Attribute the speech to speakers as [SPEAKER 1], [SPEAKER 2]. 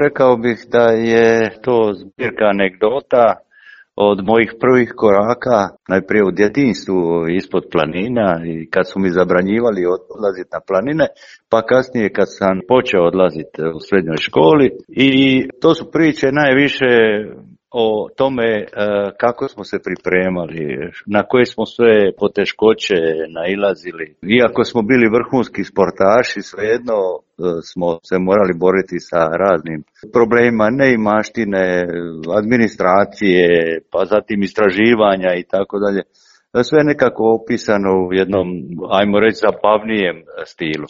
[SPEAKER 1] rekao bih da je to zbirka anegdota od mojih prvih koraka, najprije u djetinjstvu ispod planina i kad su mi zabranjivali odlaziti na planine, pa kasnije kad sam počeo odlaziti u srednjoj školi. I to su priče najviše o tome kako smo se pripremali, na koje smo sve poteškoće nailazili. Iako smo bili vrhunski sportaši, svejedno smo se morali boriti sa raznim problemima neimaštine, administracije, pa zatim istraživanja i tako dalje. Sve nekako opisano u jednom, ajmo reći, zabavnijem stilu.